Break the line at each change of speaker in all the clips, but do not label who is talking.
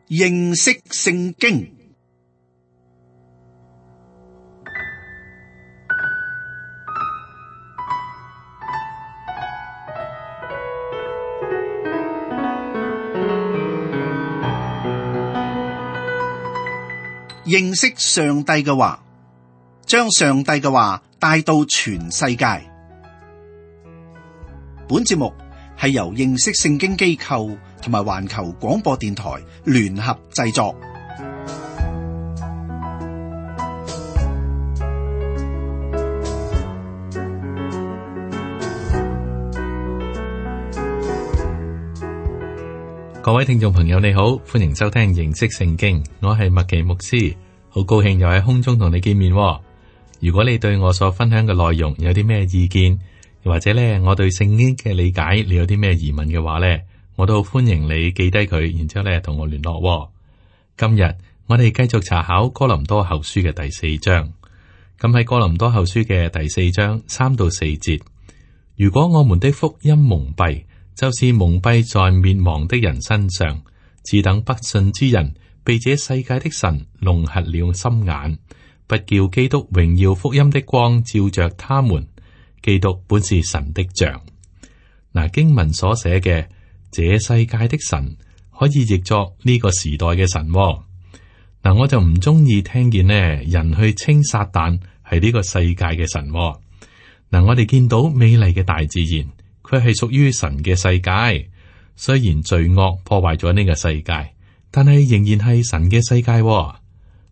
認識聖經。認識上帝嘅話，將上帝嘅話帶到全世界。本節目係由認識聖經機構同埋環球廣播電台聯合製作。
各位聽眾朋友，你好，歡迎收聽認識聖經，我係麥奇牧師，好高興又喺空中同你見面。如果你對我所分享嘅內容有啲咩意見，又或者咧我對聖經嘅理解你有啲咩疑問嘅話咧，我都好歡迎你記低佢，然之後咧同我聯絡。今日我哋繼續查考哥林多後書嘅第4章，咁喺哥林多後書嘅第4章3到4節，如果我們的福音蒙蔽，就是蒙蔽在滅亡的人身上，只等不信之人被這世界的神弄瞎了心眼，不叫基督榮耀福音的光照着他們。基督本是神的像。嗱，經文所寫嘅這世界的神可以譯作呢個時代嘅神。嗱，我就唔中意聽見呢人去稱撒旦係呢個世界嘅神。嗱，我哋見到美麗嘅大自然，佢係屬於神嘅世界。雖然罪惡破壞咗呢個世界，但係仍然係神嘅世界。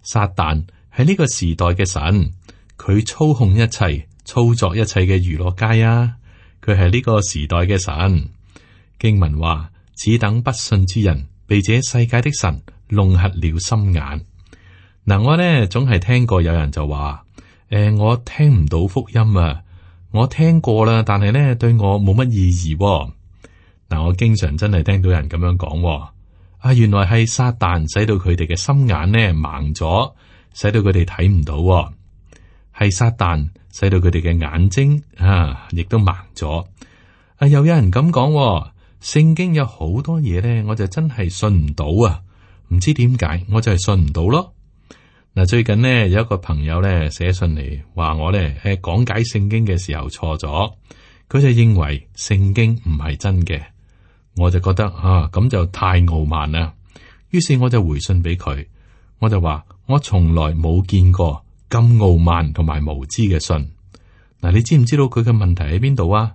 撒旦係呢個時代嘅神，佢操控一切，操作一切嘅娛樂界啊！佢係呢個時代嘅神。經文話，只等不信之人被這世界的神弄瞎了心眼。嗱，我呢總係聽過有人就話，我聽唔到福音啊！我聽過啦，但係呢對我冇乜意義。嗱，我經常真係聽到人咁樣講，原來係撒旦使到佢哋嘅心眼呢盲咗，使到佢哋睇唔到。係撒旦使到佢哋嘅眼睛亦都盲咗。又有人咁講，聖經有好多嘢呢，我就真係信唔到啊！唔知點解，我就係信唔到咯。嗱，最近呢有一個朋友呢寫信嚟，話我呢講解聖經嘅時候錯咗，佢就認為聖經唔係真嘅。我就覺得咁就太傲慢啦。於是我就回信俾佢，我就話我從來冇見過咁傲慢同埋無知嘅信。嗱，你知唔知道佢嘅問題喺邊度啊？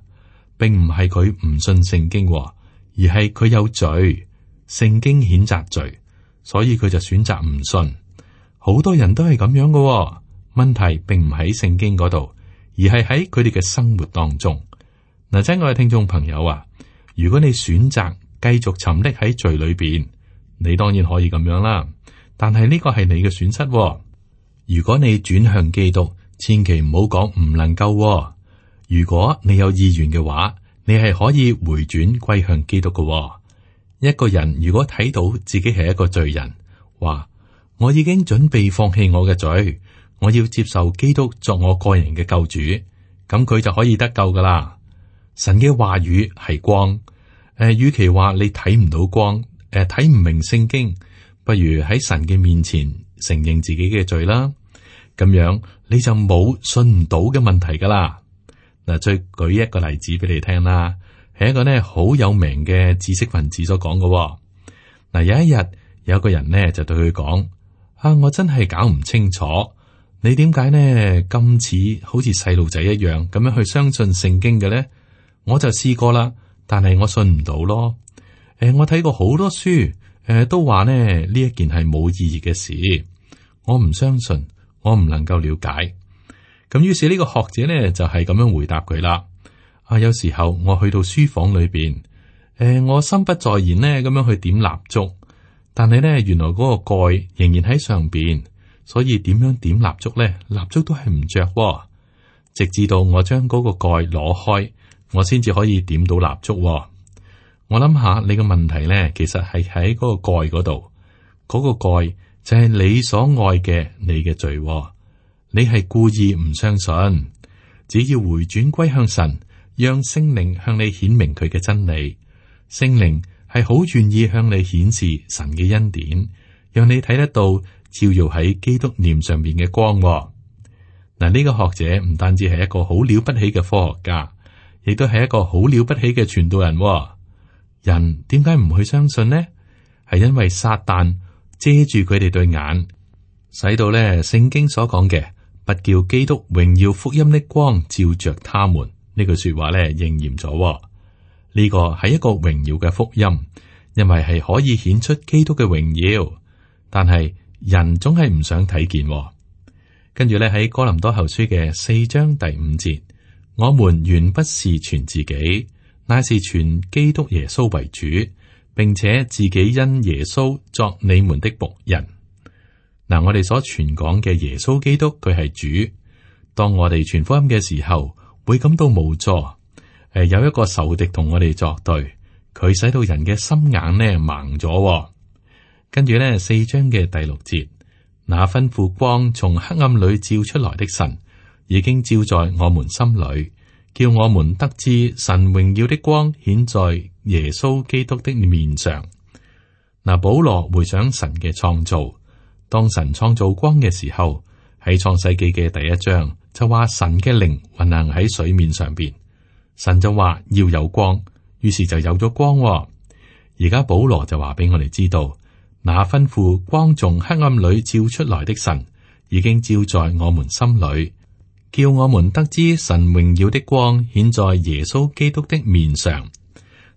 並唔係佢唔信聖經，而係佢有罪，聖經譴責罪，所以佢就選擇唔信。好多人都係咁樣嘅。問題並唔喺聖經嗰度，而係喺佢哋嘅生活當中。嗱，親愛嘅聽眾朋友啊，如果你選擇繼續沉溺喺罪裏邊，你當然可以咁樣啦。但係呢個係你嘅損失。如果你轉向基督，千祈唔好講唔能夠。如果你有意願嘅話，你係可以回轉歸向基督嘅。一個人如果睇到自己係一個罪人，話我已經準備放棄我嘅罪，我要接受基督作我個人嘅救主，咁佢就可以得救噶啦。神嘅話語係光，與其話你睇唔到光，睇唔明聖經，不如喺神嘅面前承認自己嘅罪啦。咁樣你就冇信唔到嘅問題噶啦。嗱，再舉一個例子俾你聽啦，係一個呢好有名嘅知識分子所講嘅。嗱，有一日有個人呢就對佢講：我真係搞唔清楚，你點解呢咁似好似細路仔一樣咁樣去相信聖經嘅呢？我就試過啦，但係我信唔到咯。我睇過好多書，都話呢一件係冇意義嘅事，我唔相信。我唔能夠了解，咁於是呢個學者呢就係咁樣回答佢啦。有時候我去到書房裏邊，我心不在焉呢咁樣去點蠟燭，但係呢原來嗰個蓋仍然喺上邊，所以點樣點蠟燭呢？蠟燭都係唔着，直至到我將嗰個蓋攞開，我先至可以點到蠟燭。我諗下你個問題呢，其實係喺嗰個蓋嗰度，嗰個蓋就係你所愛嘅你嘅罪，你係故意唔相信。只要回轉歸向神，讓聖靈向你顯明佢嘅真理，聖靈係好願意向你顯示神嘅恩典，讓你睇得到照耀喺基督臉上面嘅光。嗱，呢個學者唔單止係一個好了不起嘅科學家，亦都係一個好了不起嘅傳道人。人點解唔去相信呢？係因為撒旦遮住佢哋對眼，使到咧聖經所講嘅不叫基督榮耀福音的光照着他們呢句說話咧應驗咗。呢個係一個榮耀嘅福音，因為係可以顯出基督嘅榮耀，但係人總係唔想睇見。跟住咧喺哥林多後書嘅4章第5節，我們原不是傳自己，乃是傳基督耶穌為主，並且自己因耶穌作你們的僕人。嗱，我哋所傳講嘅耶穌基督，佢係主。當我哋傳福音嘅時候，會感到無助。有一個仇敵同我哋作對，佢使到人嘅心眼呢盲咗。跟住呢4章嘅第6節，那吩咐光從黑暗裏照出來的神，已經照在我們心裏，叫我們得知神榮耀的光顯在耶穌基督的面上。嗱，保羅回想神嘅創造，當神創造光嘅時候，喺創世記嘅第1章就話神嘅靈運行喺水面上邊，神就話要有光，於是就有咗光。而家保羅就話俾我哋知道，那吩咐光從黑暗裏照出來的神，已經照在我們心裏，叫我們得知神榮耀的光顯在耶穌基督的面上。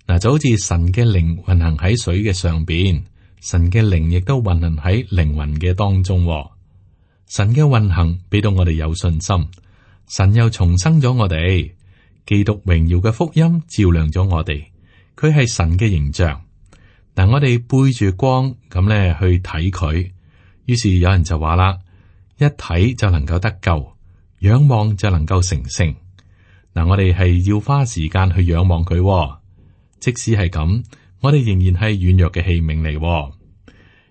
嗱，就好似神嘅靈運行喺水嘅上邊，神嘅靈亦都運行喺靈魂嘅當中。神嘅運行俾到我哋有信心，神又重生咗我哋，基督榮耀嘅福音照亮咗我哋，佢係神嘅形象。嗱，我哋背住光咁咧去睇佢，於是有人就話啦，一睇就能夠得救，仰望就能夠成聖。嗱，我哋係要花時間去仰望佢，即使係咁，我哋仍然係軟弱嘅器皿嚟。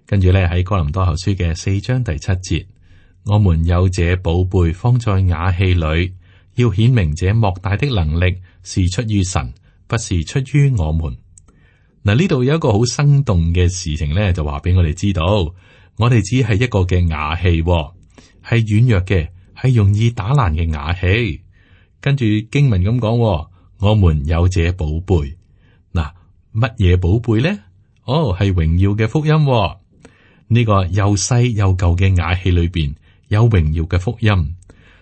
跟住咧喺哥林多後書嘅4章第7節，我們有這寶貝放在瓦器裏，要顯明這莫大的能力是出於神，不是出於我們。嗱，呢度有一個好生動嘅事情咧，就話俾我哋知道，我哋只係一個嘅瓦器，係軟弱嘅，係容易打爛嘅瓦器。跟住經文咁講，我們有這寶貝。嗱，乜嘢寶貝咧？係榮耀嘅福音。呢個又細又舊嘅瓦器裏邊有榮耀嘅福音。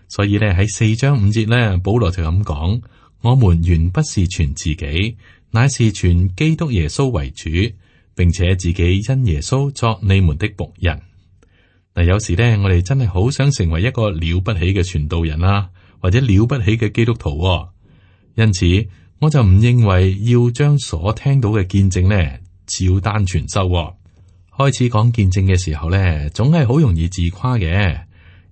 所以咧喺4章5節咧，保羅就咁講：我們原不是傳自己，乃是傳基督耶穌為主，並且自己因耶穌作你們的僕人。嗱，有時咧，我哋真係好想成為一個了不起嘅傳道人啦，或者了不起嘅基督徒。因此，我就唔認為要將所聽到嘅見證咧照單全收。開始講見證嘅時候咧，總係好容易自誇嘅。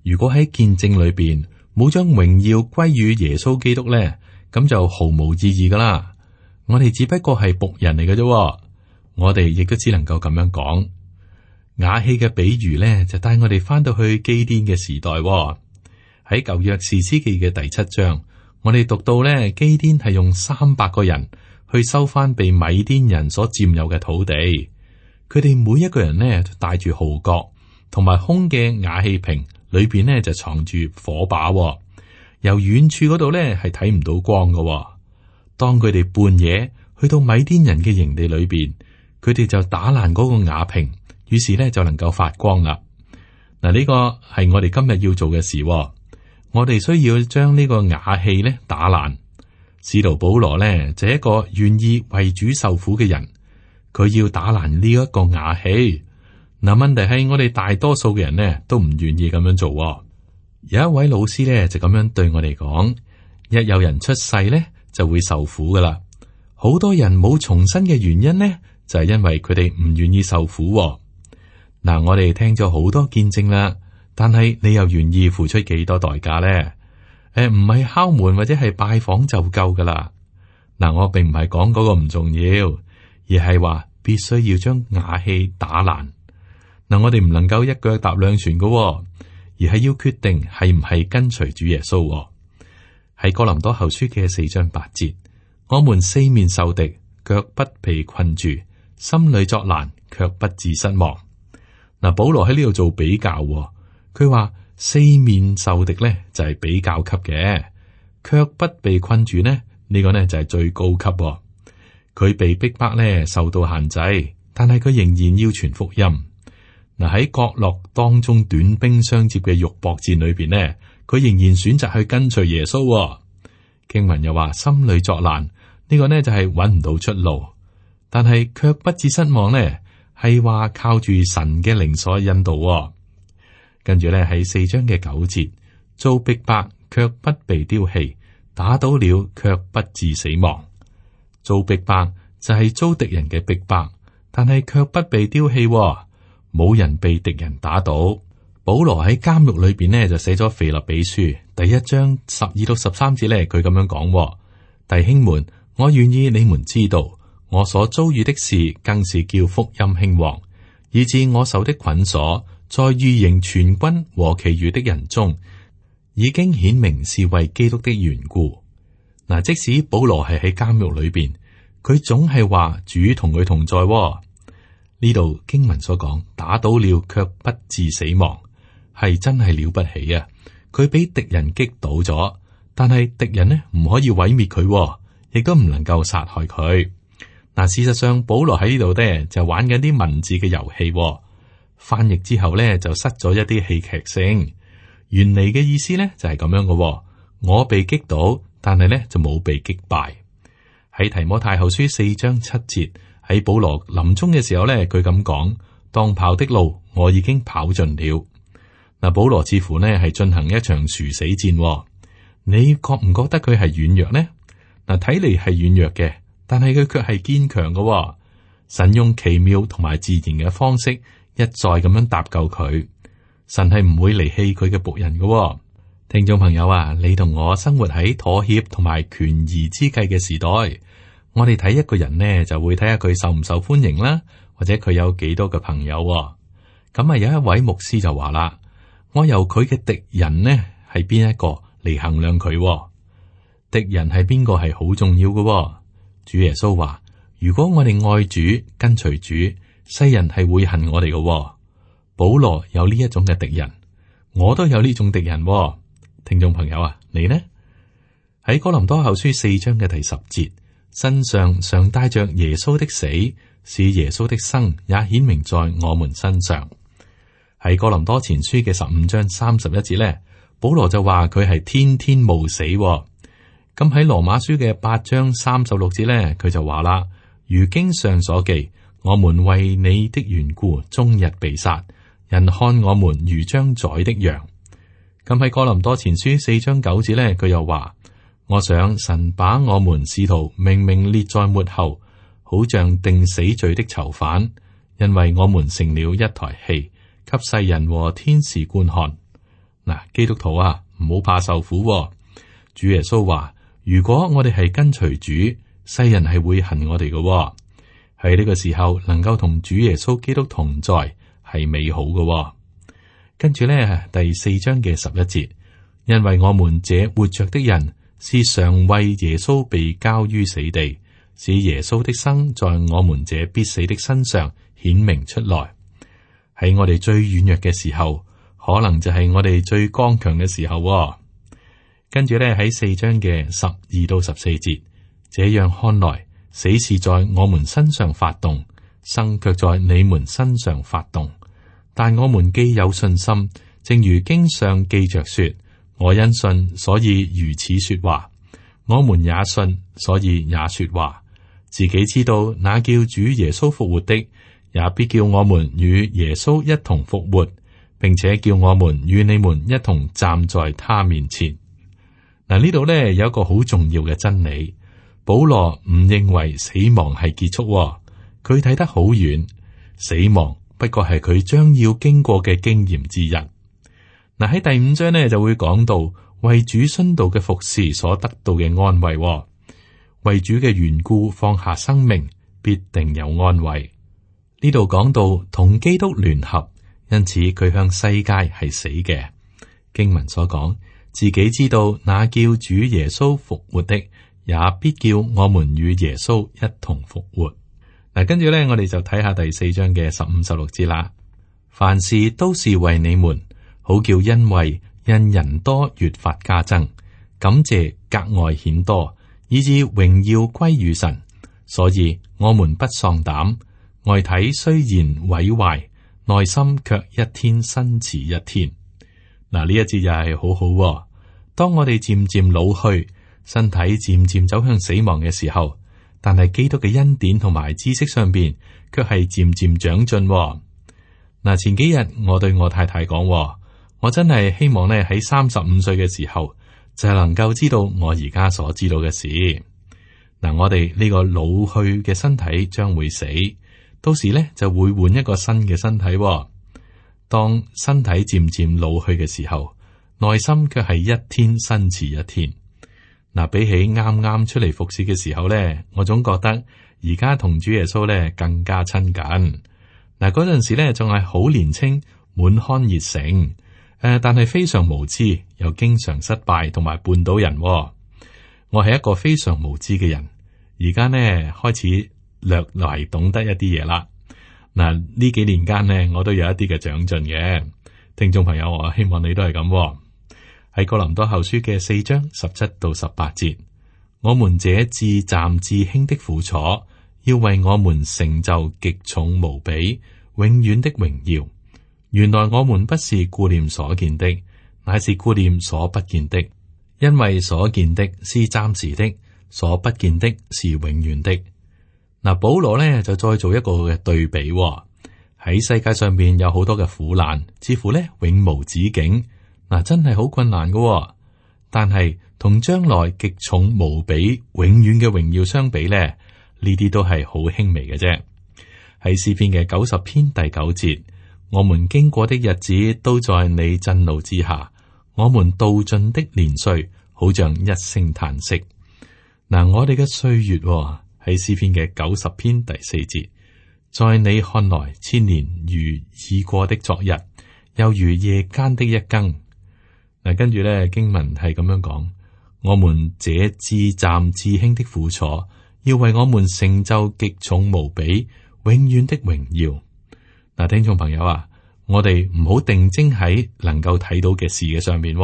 如果喺見證裏邊冇將榮耀歸於耶穌基督咧，咁就毫無意義噶啦。我哋只不過係僕人嚟嘅啫，我哋亦都只能夠咁樣講。瓦器嘅比喻咧，就帶我哋翻到去基甸嘅時代。喺舊約士師記嘅第7章，我哋讀到咧，基甸係用300個人去收翻被米甸人所佔有嘅土地。佢哋每一個人呢，帶住號角同埋空嘅瓦器瓶，裏邊呢就藏住火把。由遠處嗰度呢係睇唔到光嘅。當佢哋半夜去到米甸人嘅營地裏邊，佢哋就打爛嗰個瓦瓶，於是呢就能夠發光啦。嗱，呢個係我哋今日要做嘅事。我哋需要將呢個瓦器呢打爛。使徒保羅呢就係一個願意為主受苦嘅人。佢要打爛呢一個瓦器。嗱，問題係我哋大多數嘅人呢都唔願意咁樣做。有一位老師呢就咁樣對我哋講：一有人出世呢就會受苦噶啦。好多人冇重生嘅原因呢就係因為佢哋唔願意受苦。嗱，我哋聽咗好多見證啦，但係你又願意付出幾多代價呢？唔係敲門或者係拜訪就夠噶啦。嗱，我並唔係講嗰個唔重要，而係話必須要將瓦器打爛。嗱，我哋唔能夠一腳踏兩船噶，而係要決定係唔係跟隨主耶穌。喺哥林多後書嘅4章8節，我們四面受敵，腳不被困住，心裏作難，卻不致失望。嗱，保羅喺呢度做比較，佢話四面受敵咧就係比較級嘅，卻不被困住呢，呢個呢就係最高級。佢被逼迫咧受到限制，但係佢仍然要傳福音。嗱，喺角落當中短兵相接嘅肉搏戰裏邊呢，佢仍然選擇去跟隨耶穌。經文又話心裏作難，呢個呢就係揾唔到出路，但係卻不致失望呢，係話靠住神嘅靈所引導。跟住咧喺4章嘅9節，遭逼迫卻不被丟棄，打倒了卻不致死亡。遭逼迫就係遭敵人嘅逼迫，但係卻不被丟棄，冇人被敵人打倒。保羅喺監獄裏邊呢，就寫咗腓立比書第1章12到13節咧，佢咁樣講：弟兄們，我願意你們知道，我所遭遇的事，更是叫福音興旺，以致我受的捆鎖，在御營全軍和其餘的人中，已經顯明是為基督的緣故。嗱，即使保羅係喺監獄裏邊，佢總係話主同佢同在。呢度經文所講，打倒了卻不致死亡，係真係了不起啊！佢俾敵人擊倒咗，但係敵人呢唔可以毀滅佢，亦都唔能夠殺害佢。嗱，事實上保羅喺呢度呢就玩緊啲文字嘅遊戲，翻譯之後呢就失咗一啲戲劇性。原嚟嘅意思呢就係咁樣嘅，我被擊倒，但係呢就冇被擊敗。喺提摩太後書4章7節，喺保羅臨終嘅時候呢，佢咁講：當跑的路我已經跑盡了。嗱，保羅似乎呢係進行一場殊死戰，你覺唔覺得佢係軟弱呢？嗱，睇嚟係軟弱嘅，但係佢卻係堅強嘅。神用奇妙同埋自然嘅方式一再咁樣搭救佢。神係唔會離棄佢嘅僕人嘅。聽眾朋友啊，你同我生活喺妥協同埋權宜之計嘅時代，我哋睇一個人呢，就會睇下佢受唔受歡迎啦，或者佢有幾多個朋友。咁啊，有一位牧師就話啦：我由佢嘅敵人呢係邊一個嚟衡量佢？敵人係邊個係好重要嘅。主耶穌話：如果我哋愛主跟隨主，世人係會恨我哋嘅。保羅有呢一種嘅敵人，我都有呢種敵人。聽眾朋友啊，你呢？喺哥林多後書4章嘅第10節，身上常帶着耶穌的死，使耶穌的生也顯明在我們身上。喺哥林多前書嘅15章31節咧，保羅就話佢係天天冒死。咁喺羅馬書嘅8章36節咧，佢就話啦：如經上所記，我們為你的緣故，終日被殺，人看我們如將宰的羊。咁喺哥林多前書4章9節咧，佢又話：我想神把我們使徒明明列在末後，好像定死罪的囚犯，因為我們成了一台戲，給世人和天使觀看。嗱，基督徒啊，唔好怕受苦。主耶穌話：如果我哋係跟隨主，世人係會恨我哋嘅。喺呢個時候能夠同主耶穌基督同在，係美好嘅。跟住咧，第4章嘅11節，因為我們這活着的人是常為耶穌被交於死地，使耶穌的生在我們這必死的身上顯明出來。喺我哋最軟弱嘅時候，可能就係我哋最剛強嘅時候。跟住咧，喺4章嘅12到14節，這樣看來，死是在我們身上發動，生卻在你們身上發動。但我們既有信心，正如經上記着說：我因信，所以如此說話。我們也信，所以也說話。自己知道那叫主耶穌復活的，也必叫我們與耶穌一同復活，並且叫我們與你們一同站在他面前。嗱，呢度咧有一個好重要嘅真理，保羅唔認為死亡係結束，佢睇得好遠，死亡不過係佢將要經過嘅經驗之一。嗱，喺第5章呢就會講到為主殉道嘅服侍所得到嘅安慰，為主嘅緣故放下生命，必定有安慰。呢度講到同基督聯合，因此佢向世界係死嘅。經文所講，自己知道那叫主耶穌復活的，也必叫我們與耶穌一同復活。嗱，跟住咧，我哋就睇下第4章嘅15、16節啦。凡事都是為你們，好叫恩惠因人多越發加增，感謝格外顯多，以致榮耀歸於神。所以我們不喪膽，外體雖然毀壞，內心卻一天新似一天。嗱，呢一節又係好好喎。當我哋漸漸老去，身體漸漸走向死亡嘅時候，但係基督嘅恩典同埋知識上邊，卻係漸漸長進喎。嗱，前幾日我對我太太講，我真係希望咧喺35歲嘅時候，就係能夠知道我而家所知道嘅事。嗱，我哋呢個老去嘅身體將會死，到時咧就會換一個新嘅身體喎。當身體漸漸老去嘅時候，內心卻係一天新似一天。嗱，比起啱啱出嚟服侍嘅時候咧，我總覺得而家同主耶穌咧更加親近。嗱，嗰陣時咧仲係好年輕，滿腔熱誠，但係非常無知，又經常失敗同埋絆倒人喎。我係一個非常無知嘅人，而家呢開始略來懂得一啲嘢啦。嗱，呢幾年間呢，我都有一啲嘅長進嘅。聽眾朋友，我希望你都係咁喎。喺哥林多後書嘅4章17到18節，我們這至暫至輕的苦楚，要為我們成就極重無比、永遠的榮耀。原來我們不是顧念所見的，乃是顧念所不見的，因為所見的是暫時的，所不見的是永遠的。嗱，保羅咧就再做一個嘅對比喎。喺世界上邊有好多嘅苦難，似乎咧永無止境。嗱，真係好困難㗎喎，但係同將來極重無比、永遠嘅榮耀相比咧，呢啲都係好輕微嘅啫。喺詩篇嘅90篇第9節，我們經過的日子都在你震怒之下，我們度盡的年歲，好像一聲嘆息。嗱，我哋嘅歲月喺詩篇嘅90篇第4節，在你看來千年如已過的昨日，又如夜間的一更。嗱，跟住咧經文係咁樣講，我們這至暫至輕的苦楚，要為我們成就極重無比、永遠的榮耀。嗱，聽眾朋友啊，我哋唔好定睛喺能夠睇到嘅事嘅上面，呢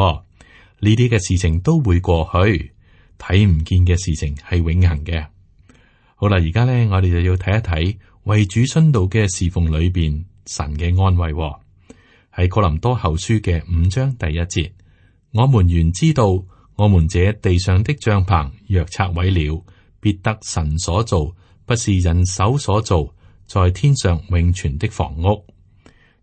啲嘅事情都會過去，睇唔見嘅事情係永恆嘅。好啦，而家咧我哋就要睇一睇為主殉道嘅侍奉裏邊神嘅安慰。喺哥林多後書嘅5章第1節。我們原知道，我們這地上的帳棚若拆毀了，必得神所造，不是人手所造，在天上永存的房屋。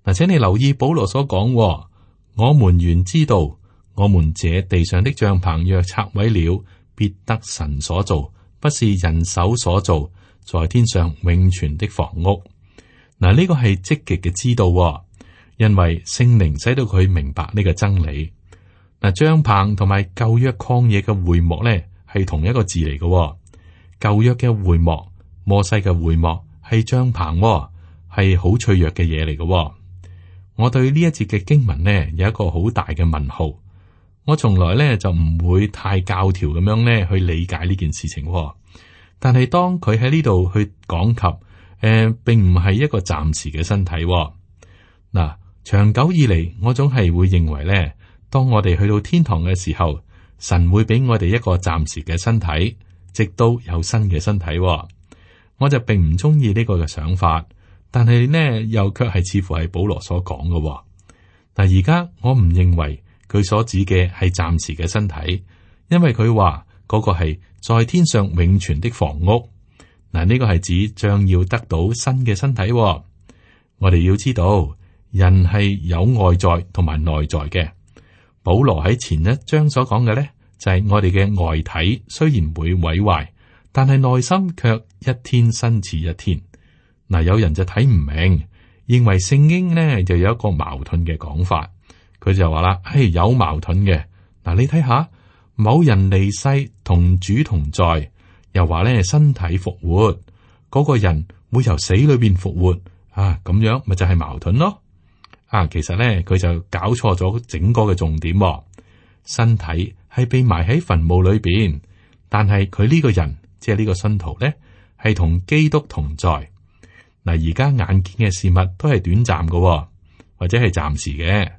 嗱，請你留意保羅所講，我們原知道，我們這地上的帳棚若拆毀了，必得神所造，不是人手所造，在天上永存的房屋。嗱，呢個係積極嘅知道，因為聖靈使到佢明白呢個真理。嗱，帳棚同埋舊約曠野嘅會幕咧，係同一個字嚟嘅。舊約嘅會幕，摩西嘅會幕係帳棚，係好脆弱嘅嘢嚟嘅。我對呢一節嘅經文呢，有一個好大嘅問號。我從來咧就唔會太教條咁樣咧去理解呢件事情。但係當佢喺呢度去講及，並唔係一個暫時嘅身體。嗱，長久以嚟，我總係會認為咧。當我哋去到天堂嘅時候，神會俾我哋一個暫時嘅身體，直到有新嘅身體。我就並唔中意呢個嘅想法，但係呢又卻係似乎係保羅所講嘅。但而家我唔認為佢所指嘅係暫時嘅身體，因為佢話嗰個係在天上永存的房屋。嗱，呢個係指將要得到新嘅身體。我哋要知道，人係有外在同埋內在嘅。保羅喺前一章所講嘅咧，就係我哋嘅外體雖然會毀壞，但係內心卻一天新似一天。嗱，有人就睇唔明，認為聖經咧就有一個矛盾嘅講法。佢就話啦，有矛盾嘅。嗱，你睇下，某人離世同主同在，又話咧身體復活，嗰個人會由死裏邊復活啊，咁樣咪就係矛盾咯。其實咧，佢就搞錯咗整個嘅重點。身體係被埋喺墳墓裏邊，但係佢呢個人，即係呢個信徒咧，係同基督同在。嗱，而家眼見嘅事物都係短暫嘅，或者係暫時嘅，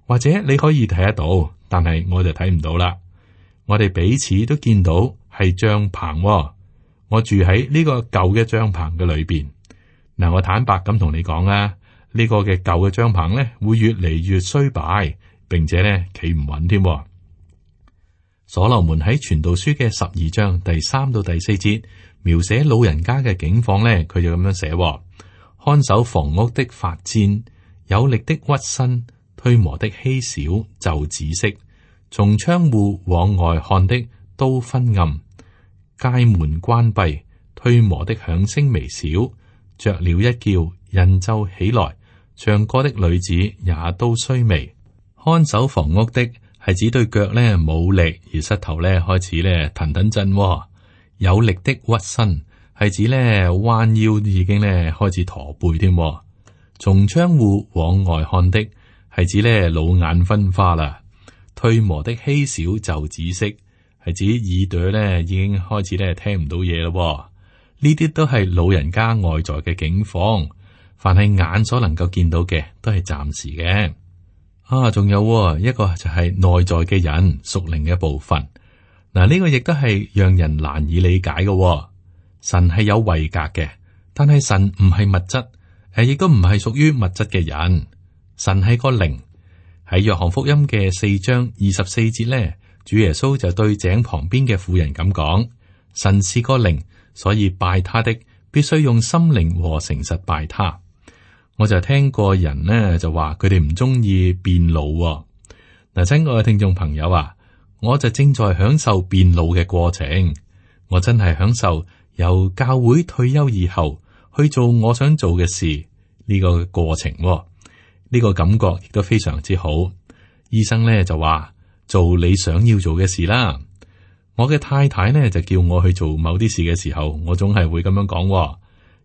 或者你可以睇得到，但係我就睇唔到啦。我哋彼此都見到係帳篷，我住喺呢個舊嘅帳篷嘅裏邊。嗱，我坦白咁同你講啊，呢個嘅舊嘅帳篷咧會越嚟越衰敗，並且咧企唔穩添。所羅門喺傳道書嘅12章第3到第4節描寫老人家嘅境況咧，佢就咁樣寫：看守房屋的發顫，有力的屈身，推磨的稀少就止息，從窗戶往外看的都昏暗，街門關閉，推磨的響聲微小，雀鳥一叫，人就起來，唱歌的女子也都衰微。看守房屋的係指對腳咧冇力，而膝頭咧開始咧騰騰震。有力的屈身係指咧彎腰已經咧開始駝背添。從窗戶往外看的係指咧老眼昏花啦。推磨的稀少就止息，係指耳朵咧已經開始咧聽唔到嘢咯。呢啲都係老人家外在嘅境況，凡係眼所能夠見到嘅都係暫時嘅。仲有一個就係內在嘅人屬靈嘅部分。嗱，呢個亦都係讓人難以理解嘅。神係有位格嘅，但係神唔係物質，亦都唔係屬於物質嘅人。神係個靈。喺約翰福音嘅4章24節咧，主耶穌就對井旁邊嘅婦人咁講：神是個靈，所以拜他的必須用心靈和誠實拜他。我就聽過人呢就話佢哋唔中意變老。嗱，親愛嘅聽眾朋友啊，我就正在享受變老嘅過程。我真係享受由教會退休以後去做我想做嘅事呢個過程。呢個感覺亦都非常之好。醫生咧就話做你想要做嘅事啦。我嘅太太呢就叫我去做某啲事嘅時候，我總係會咁樣講。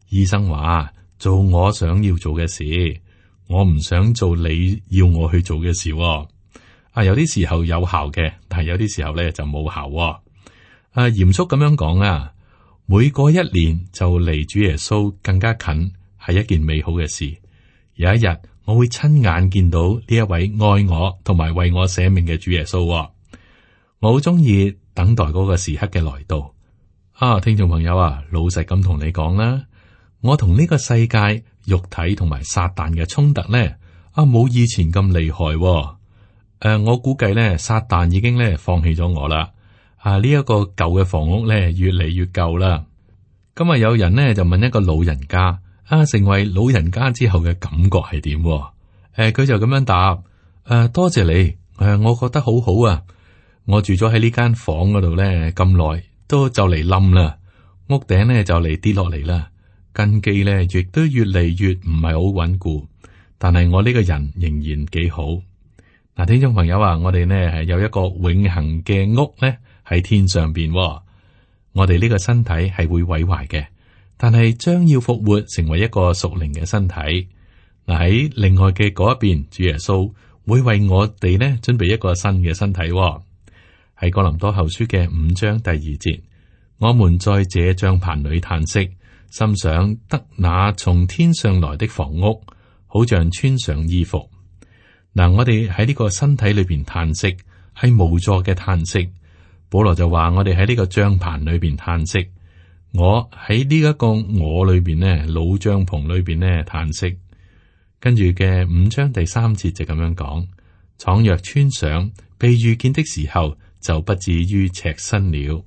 醫生話做我想要做嘅事，我唔想做你要我去做嘅事。有啲時候有效嘅，但係有啲時候咧就冇效。嚴肅咁樣講啊，每過1年就離主耶穌更加近，係一件美好嘅事。有一日我會親眼見到呢一位愛我同埋為我捨命嘅主耶穌。我好中意等待嗰個時刻嘅來到。聽眾朋友啊，老實咁同你講啦，我同呢個世界肉體同埋撒旦嘅衝突咧，冇以前咁厲害。我估計咧，撒旦已經咧放棄咗我啦。呢一個舊嘅房屋咧越嚟越舊啦。今日有人咧就問一個老人家。成為老人家之後嘅感覺係點？佢就咁樣答：多謝你，我覺得好好啊。我住咗喺呢間房嗰度咧咁耐，都就嚟冧啦，屋頂咧就嚟跌落嚟啦，根基咧亦都越嚟越唔係好穩固。但係我呢個人仍然幾好。嗱，聽眾朋友啊，我哋呢係有一個永恆嘅屋咧喺天上邊。我哋呢個身體係會毀壞嘅。但係將要復活，成為一個屬靈嘅身體。嗱，喺另外嘅嗰一邊，主耶穌會為我哋呢準備一個新嘅身體。喺哥林多後書嘅5章第2節，我們在這帳棚裏嘆息，心想得那從天上來的房屋，好像穿上衣服。嗱，我哋喺呢個身體裏邊嘆息，係無助嘅嘆息。保羅就話我哋喺呢個帳棚裏邊嘆息。我喺呢一個我裏邊呢，老帳篷裏邊呢嘆息。跟住嘅5章第3節就咁樣講：倘若穿上，被遇見的時候，就不至於赤身了。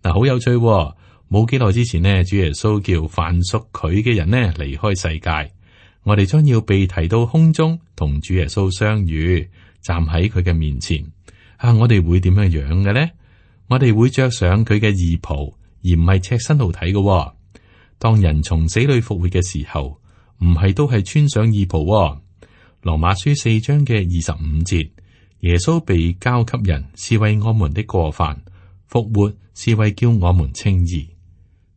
嗱，好有趣喎。冇幾耐之前呢，主耶穌叫凡屬佢嘅人呢離開世界。我哋將要被提到空中，同主耶穌相遇，站喺佢嘅面前。我哋會點樣樣嘅呢？我哋會着上佢嘅義袍。而唔係赤身露體嘅。當人從死裏復活嘅時候，唔係都係穿上義袍。羅馬書4章嘅25節，耶穌被交給人，是為我們的過犯；復活是為叫我們稱義。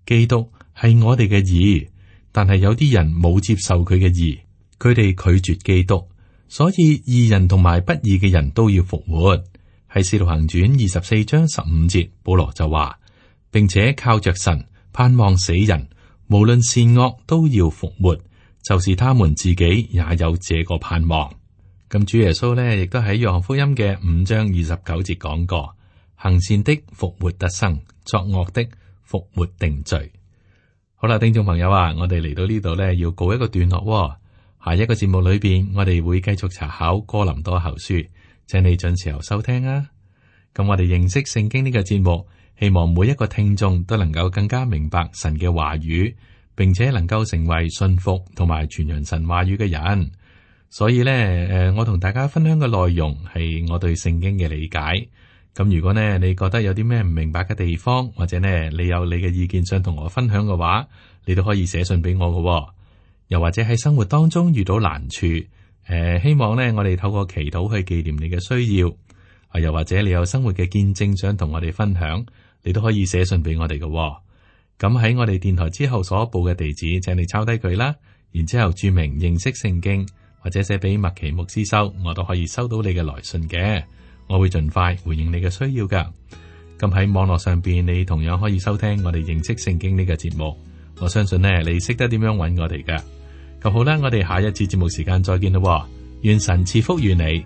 基督係我哋嘅義，但係有啲人冇接受佢嘅義，佢哋拒絕基督，所以義人同埋不義嘅人都要復活。喺使徒行傳24章15節，保羅就話，並且靠着神盼望死人無論善惡都要復活，就是他們自己也有這個盼望。咁主耶穌呢，亦都喺約翰福音嘅5章29節講過：行善的復活得生，作惡的復活定罪。好啦，聽眾朋友啊，我哋嚟到呢度呢，要告一個段落。下一個節目裏邊，我哋會繼續查考哥林多後書，請你準時候收聽啊。咁我哋認識聖經呢個節目，希望每一個聽眾都能夠更加明白神嘅話語，並且能夠成為信服同埋傳揚神話語嘅人。所以呢，我同大家分享嘅內容係我對聖經嘅理解。咁如果呢，你覺得有啲咩唔明白嘅地方，或者呢，你有你嘅意見想同我分享嘅話，你都可以寫信俾我嘅。又或者喺生活當中遇到難處，希望呢，我哋透過祈禱去紀念你嘅需要。又或者你有生活嘅見證想同我哋分享，你都可以寫信俾我哋嘅。咁喺我哋電台之後所報嘅地址，請你抄低佢啦，然之後注明認識聖經，或者寫俾麥奇牧師收，我都可以收到你嘅來信嘅。我會盡快回應你嘅需要噶。咁喺網絡上邊，你同樣可以收聽我哋認識聖經呢個節目。我相信呢，你識得點樣揾我哋噶。咁好啦，我哋下一次節目時間再見啦。願神賜福於你。